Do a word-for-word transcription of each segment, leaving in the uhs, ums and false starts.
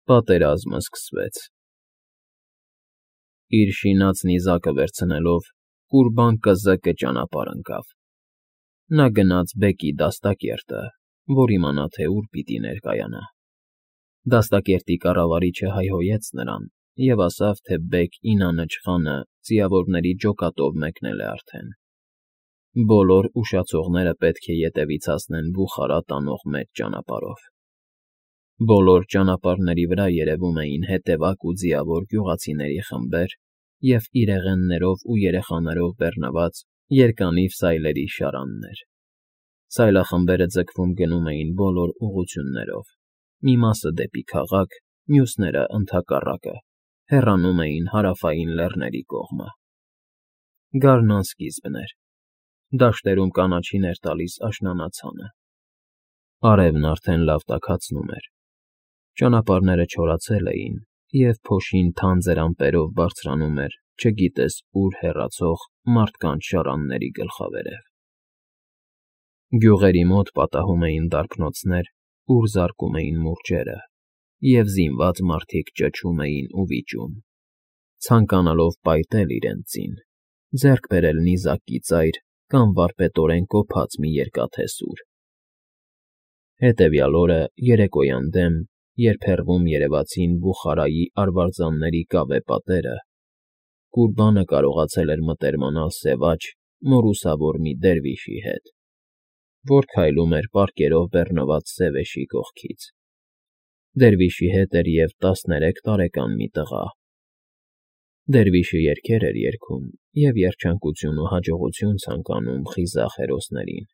Պատերազմը սկսվեց։ Իր շինած նիզակը վերցնելով՝ կուրբան կզկը ճանապարհ ընկավ. նա գնաց բեկի դաստակերտը, որ իմանա, թե ուր պիտի ներկայանա։ Դաստակերտի կառավարիչը հայհոյեց նրան և ասավ, թե Բեգ Ինանչխանը ձիավորների ջոկատով մեկնել է արդեն։ Բոլոր ուշացողները պետք է ետևից հասնեն Բուխարա տանող մեծ ճանապարհով։ Բոլոր ճանապարհների վրա երևում էին հետևակ ու ձիավոր գյուղացիների խմբեր և իրեղեններով ու երեխաներով բեռնված երկանիվ սայլերի շարաններ։ Սայլախմբերը ձգվում գնում էին բոլոր ուղղություններով, մի մասը դեպի քաղաք, մյուսները, ընդհակառակը, հեռանում էին հարավային լեռների կողմը։ Գարնան սկիզբն էր, դաշտերում կանաչին էր տալիս աշնանացանը։ Արևն արդեն լավ տաքացնում էր։ Ճանապարհները չորացել էին, և փոշին թանձր ամպերով բարձրանում էր չգիտես ուր հեռացող մարդկանց շարանների գլխավերև։ Գյուղերի մոտ պատահում էին դարբնոցներ, ուր զարկում էին մուրճերը, և զինված մարդիկ ճչում էին ու վիճում, ցանկանալով պայթել իրենց ձին, ձեռք բերել նիզակի ծայր կամ վարպետորեն կոփած մի երկաթե սուր։ Հետևյալ օրը երեկոյան դեմ, երբ հեռվում երևացին Բուխարայի արվարձանների կավե պատերը, կուրբանը կարողացել էր մտերմանալ սևաչ, մորուսավոր մի դերվիշի հետ, որ քայլում էր պարկերով բեռնված սևեշի կողքից։ Դերվիշի հետ էր և տասներեք տարեկան մի տղա։ Դերվիշը երգեր էր երգում և երջանկություն ու հաջողություն ցանկանում խիզախ հերոսներին,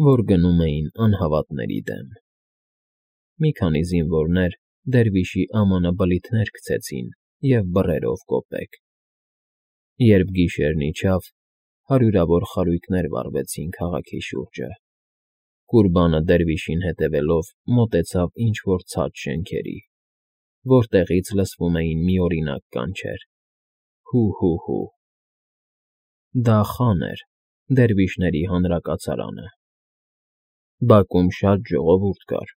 որ գնում էին անհավատների դեմ։ Մի քանի զինվորներ դերվիշի ամանը բլիթներ քցեցին և բռերով կոպեկ։ Երբ գիշերն իջավ, հարյուրավոր խարույկներ վառվեցին քաղաքի շուրջը։ Կուրբանը դերվիշին հետևելով մոտեցավ ինչ֊որ ցած շենքերի, որտեղից լսվում էին միօրինակ կանչեր. «Հու՛֊հու՛֊հու»։ Դա խան էր, դերվիշների հանրակացարանը։ Բակում շատ ժողովուրդ կար։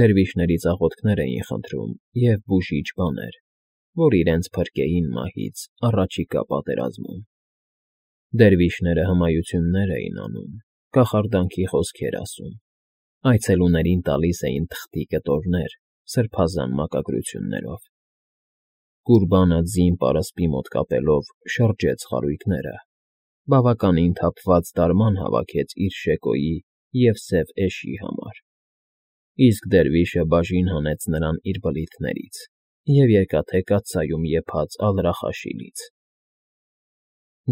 Դերվիշներից աղոթքներ էին խնդրում և բուժիչ բաներ, որ իրենց փրկեին մահից առաջիկա պատերազմում։ Դերվիշները հմայություններ էին անում, կախարդանքի խոսքեր ասում, այցելուներին տալիս էին թղթի կտորներ սրբազան մակագրություններով։ Կուրբանը ձին պարսպի մոտ կապելով շրջեց խարույկները, բավականին թափված դարման հավաքեց իր շեկոյի և սև էշի համար, իսկ դերվիշը բաժին հանեց նրան իր բլիթներից և երկաթե կաթսայում եփած ալրախաշիլից։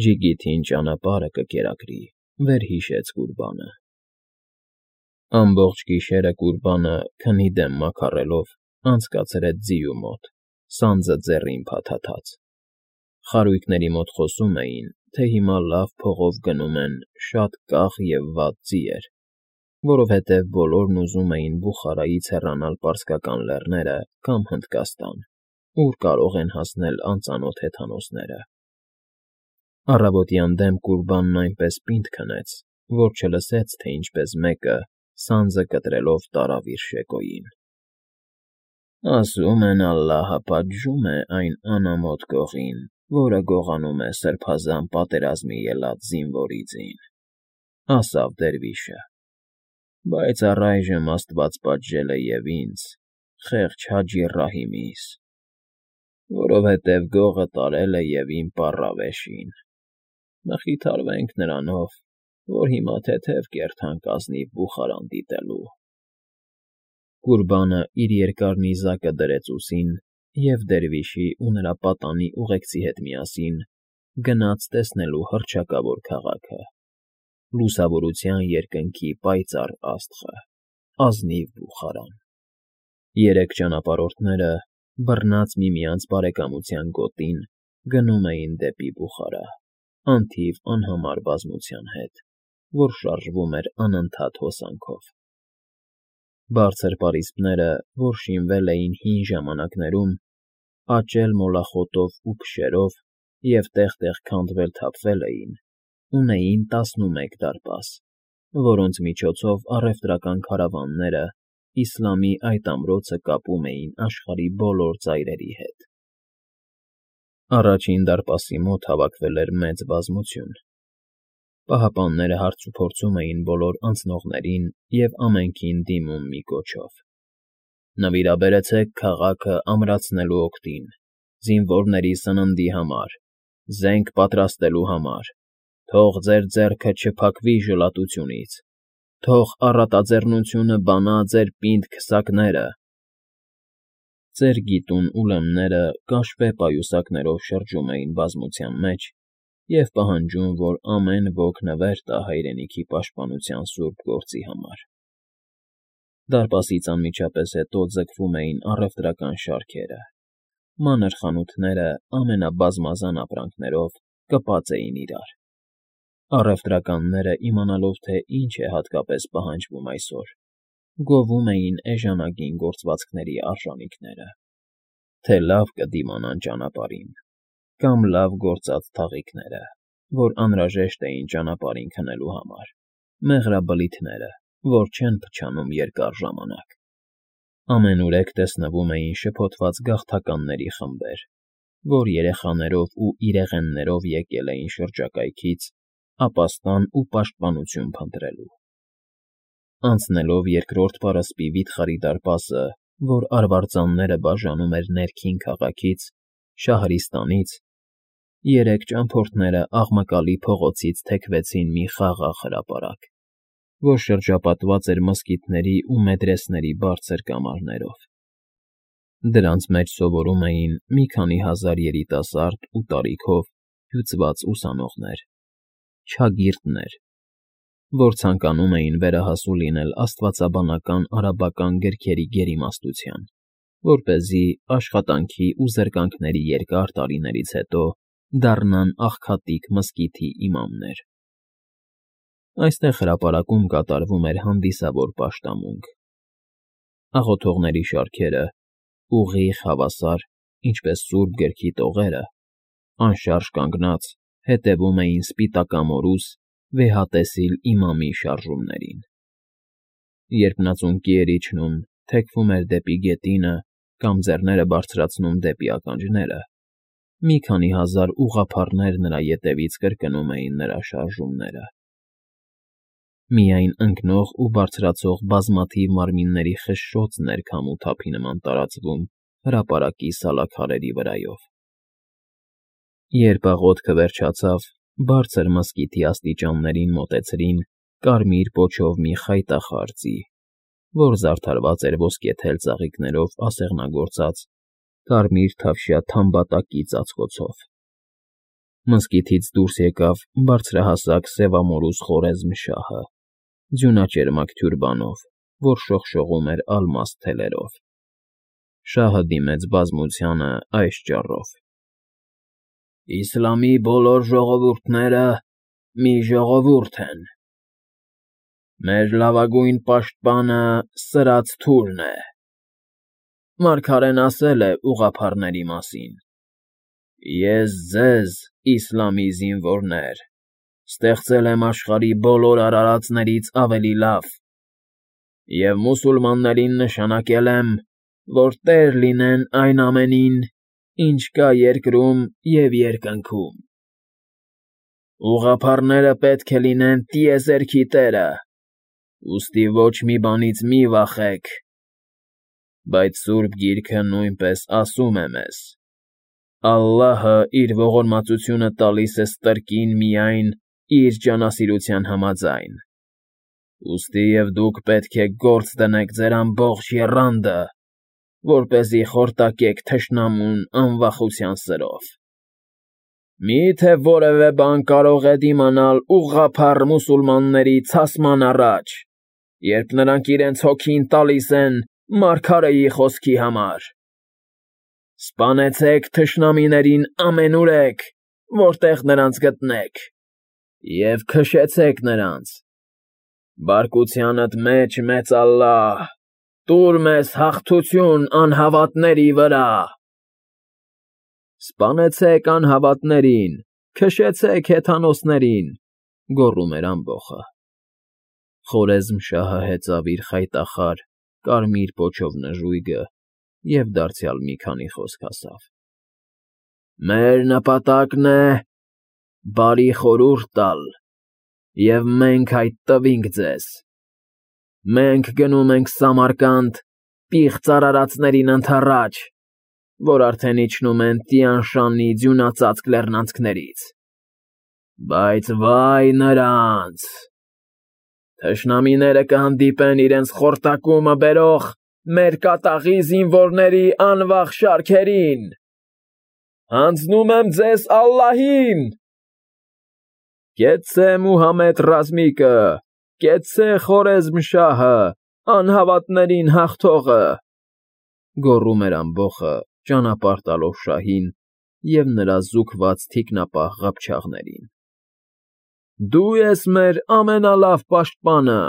Ջիգիթին ճանապարհը կկերակրի, վերհիշեց Կուրբանը։ Ամբողջ գիշերը Կուրբանը, քնի դեմ մաքարելով, անցկացրեց ձիու մոտ, սանձը ձեռին փաթաթած։ Խարույկների մոտ խոսում էին, թե հիմա լավ փողով գնում են շատ կախ և վատ ձիեր, որովհետև բոլորն ուզում էին Բուխարայից հեռանալ պարսկական լեռները կամ Հնդկաստան, ուր կարող են հասնել անծանոթ հեթանոսները։ Առավոտյան դեմ Կուրբանն այնպես պինդ քնեց, որ չլսեց, թե ինչպես մեկը, սանձը կտրելով, տարավ իր շեկոյին։ «Ասում են ալլահը պատժում է այն անամոթ գողին, որը գողանում է սրբազան պատերազմի ելած զինվորի ձին»,֊ ասավ դերվիշը։ «Բայց առայժմ աստված պատժել է և ինձ՝ խեղճ Հաջի Ռահիմիս, որովհետև գողը տարել է և իմ պառավեշին։ Մխիթարվենք նրանով, որ հիմա թեթև կերթանք ազնիվ Բուխարան դիտելու»։ Կուրբանը իր երկար նիզակը դրեց ուսին և դերվիշի ու նրա պատանի ուղեկցի հետ միասին գնաց տեսնելու հռչակավոր քաղաքը, լուսավորության երկնքի պայծառ աստղը, ազնիվ Բուխարան։ Երեք ճանապարհորդները, բռնած միմյանց բարեկամության գոտին, գնում էին դեպի Բուխարա, անթիվ անհամար բազմության հետ, որ շարժվում էր անընդհատ հոսանքով։ Բարձր պարիսպները, որ շինվել էին հին ժամանակներում, աճել մոլախոտով ու փշերով և տեղ֊տեղ քանդվել֊թափվել էին, ունեին տասնմեկ դարպաս, որոնց միջոցով առևտրական քարավանները իսլամի այդ ամրոցը կապում էին աշխարհի բոլոր ծայրերի հետ։ Առաջին դարպասի մոտ հավաքվել էր մեծ բազմություն։ Պահապանները հարցուփորձում էին բոլոր անցնողներին և ամենքին դիմում մի կոչով. «Նվիրաբերեցեք քաղաքը ամրացնելու օգտին, զինվորների սննդի համար, զենք պատրաստելու համար, թող ձեր ձեռքը չփակվի ժլատությունից, թող առատաձեռնությունը բանա ձեր պինդ քսակները»։ Ծեր գիտուն ուրեմները կաշվե պայուսակներով շրջում էին բազմության մեջ և պահանջում, որ ամեն ոք նվեր տա հայրենիքի պաշտպանության սուրբ գործի համար։ Դարպասից անմիջապես հետո ձգվում էին առևտրական շարքերը։ Մանր խանութները ամենաբազմազան ապրանքներով կպած էին իրար։ Առևտրականները, իմանալով, թե ինչ է հատկապես պահանջվում այսօր, գովում էին էժանագին գործվածքների արժանիքները, թե լավ կդիմանան ճանապարհին, կամ լավ գործած թաղիքները, որ անհրաժեշտ էին ճանապարհին քնելու համար, մեղրաբլիթները, որ չեն փչանում երկար ժամանակ։ Ամենուրեք տեսնվում էին շփոթված գաղթականների խմբեր, որ երեխաներով ու իրեղեններով եկել էին շրջակայքից ապաստան ու պաշտպանություն փնտրելու։ Անցնելով երկրորդ պարսպի վիթխարի դարպասը, որ արվարձանները բաժանում էր ներքին քաղաքից՝ Շահրիստանից, երեք ճամփորդները աղմկալի փողոցից թեքվեցին մի խաղաղ հրապարակ, որ շրջապատված էր մզկիթների ու մեդրեսների բարձր կամարներով։ Դրանց մեջ սովորում էին մի քանի հազար երիտասարդ ու տարիքով հյուծված ուսանողներ, չագիրդներ, որ ցանկանում էին վերահասու լինել աստվածաբանական արաբական գրքերի գերիմաստության, որպեսզի աշխատանքի ու զրկանքների երկար տարիներից հետո դառնան աղքատիկ մզկիթի իմամներ։ Այստեղ հրապարակում կատարվում էր հանդիսավոր պաշտամունք։ Աղոթողների շարքերը, ուղիղ, հավասար, ինչպես Սուրբ Գրքի տողերը, անշարժ կանգնած, հետևում էին սպիտակամորուս, վեհատեսիլ իմամի շարժումներին։ Երբ նա ծունկի էր իջնում, թեքվում էր դեպի գետինը կամ ձեռները բարձրացնում դեպի ականջները, մի քանի հազար ուղղափառներ նրա ետևից կրկնում էին նրա շարժումները։ Միայն ընկնող ու բարձրացող բազմաթիվ մարմինների խշշոցն էր քամու թափի նման տարածվում հրապարակի սալաքարերի վրայով։ Երբ աղոթքը վերջացավ, բարձր մզկիթի աստիճաններին մոտեցրին կարմիր պոչով մի խայտախառ ձի, որ զարդարված էր ոսկեթել ծաղիկներով ասեղնագործած կարմիր թավշյա թամբատակի ծածկոցով։ Մզկիթից դուրս եկավ բարձրահասակ սևամորուս Խորեզմ֊շահը, ձյունաճերմակ թյուրբանով, որ շողշողում էր ալմաստ թելերով։ Շահը դիմեց բազմությանը այս ճառով. «Իսլամի բոլոր ժողովուրդները մի ժողովուրդ են։ Մեր լավագույն պաշտպանը սրած թուրն է։ Մարգարեն ասել է ուղղափառների մասին. «Ես ձեզ, իսլամի զինվորներ, ստեղծել եմ աշխարհի բոլոր արարածներից ավելի լավ և մուսուլմաններին նշանակել եմ, որ տեր լինեն այն ամենին, ինչ կա երկրում և երկնքում։ Ուղղափառները պետք է լինեն տիեզերքի տերը, ուստի ոչ մի բանից մի վախեք։ Բայց Սուրբ Գիրքը նույնպես ասում է մեզ. «Ալլահը իր ողորմածությունը տալիս է ստրկին միայն իր ջանասիրության համաձայն։ Ուստի և դուք պետք է գործ դնեք ձեր ամբողջ եռանդը, որպեսզի խորտակեք թշնամուն անվախության սրով։ Մի՞թե որևէ բան կարող է դիմանալ ուղղափառ մուսուլմանների ցասման առաջ, երբ նրանք իրենց հոգին տալիս են մարգարեի խոսքի համար։ Սպանեցեք թշնամիներին ամենուրեք, որտեղ նրանց գտնեք, և քշեցեք նրանց։ Բարկությանդ մեջ, մեծ Ալլահ, տուր մեզ հաղթություն անհավատների վրա»։ Սպանեցեք անհավատներին, քշեցեք հեթանոսներին, գոռում էր ամբոխը։ Խորեզմ֊շահը հեծավ իր խայտախառ, կարմիր պոչով նժույգը և դարձյալ մի քանի խոսք ասավ. Մեր նպատակն է բարի խորհուրդ տալ, և մենք այդ տվինք ձեզ. մենք գնում ենք Սամարկանդ պիղծ արարածներին ընդառաջ, որ արդեն իջնում են Տիան֊Շանի ձյունածածկ լեռնանցքներից, բայց վա՜յ նրանց. թշնամիները կհանդիպեն իրենց խորտակումը բերող մեր կատաղի զինվորների անվախ շարքերին… Հանձնում եմ ձեզ ալլահին… Կեցցե Մուհամեդ ռազմիկը, կեցցե Խորեզմ֊շահը, անհավատներին հաղթողը… գոռում էր ամբոխը, ճանապարհ տալով շահին և նրա զուգված թիկնապահ ղփչաղներին։ Դու ես մեր ամենալավ պաշտպանը։